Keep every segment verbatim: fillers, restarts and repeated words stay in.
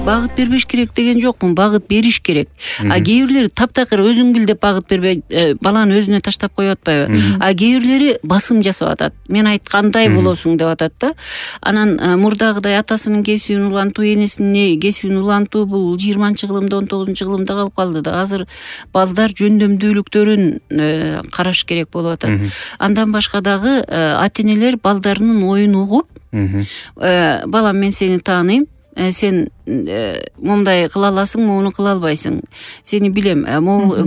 багыт бербеш керек деген жокмун, багыт бериш керек. А кээ бирлери таптакыр өзүң бил деп багыт бербей баланы өзүнө таштап коюп атпайбы? А кээ бирлери басым жасап атат. Мен айткандай болосуң деп атат да. Анан мурдагыдай атасынын кесибин улантуу, энесинин кесибин улантуу бул жыйырманчы кылымда, он тогузунчу кылымда калып калды да. Азыр балдар жөндөмдүүлүктөрүн караш керек болуп атат. Андан башка дагы ата-энелер балдарынын оюн угуп, балам мен сени тааныйм, сен момундай кыла аласың, моуну кыла албайсың. Сени билем.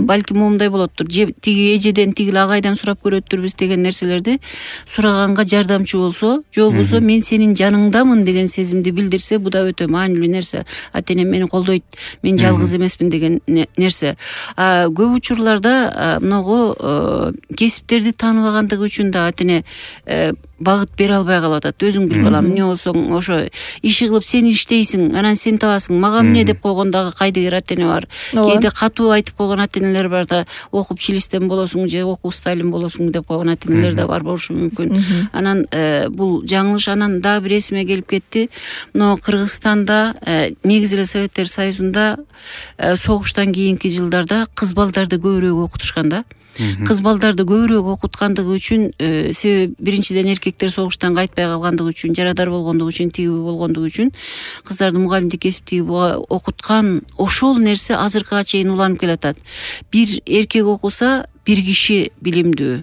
Балки момундай болоттур. Тиги эжеден, тиги агайдан сурап көрөттүрбүз деген нерселерди сураганга жардамчы болсо, же болбосо мен сенин жаныңдамын деген сезимди билдирсе, бу да өтө маанилүү нерсе. Ата-энем мени колдойт, мен жалгыз эмесмин деген нерсе. Көп учурларда многу кесиптерди тааныбагандыгы үчүн да ата-эне багыт бере албай калып атат. Өзүң бил балам, эмне болсоң ошо иши кылып сен иштейсиң, анан сен табасың. Мага эмне деп койгон дагы кайдыгер ата-эне бар. Кээде катуу айтып койгон ата-энелер бар да, окуп чилистен болосуң же окуп сталин болосуң деп койгон ата-энелер да бар болушу мүмкүн. Анан бул жаңылыш. Анан дагы бир эсиме келип кетти. Мына Кыргызстанда негизи эле Советтер Союзунда согуштан кийинки жылдарда кыз балдарды көбүрөөк окутушкан да. Кыз балдарды көбүрөөк окуткандыгы үчүн, себеби биринчиден эркектер согуштан кайтпай калгандыгы үчүн, жарадар болгондугу үчүн, тиги болгондугу үчүн кыздарды мугалимдик кесиптеги окуткан ошол нерсе азыркыга чейин уланып келатат. Бир эркек окуса, бир киши билимдүү.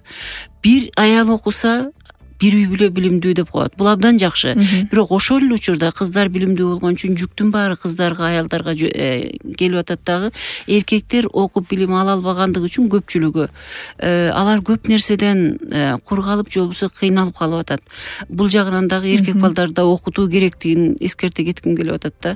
Бир аял окуса, бир үй бүлө билимдүү деп коет. Бул абдан жакшы. Бирок ошол эле учурда кыздар билимдүү болгон үчүн жүктүн баары кыздарга, аялдарга келип атат дагы. Эркектер окуп билим ала албагандыгы үчүн көпчүлүгү алар көп нерседен кур калып, же болбосо кыйналып калып атат. Бул жагынан дагы эркек балдарды окутуу керектигин эскерте кетким келип атат да.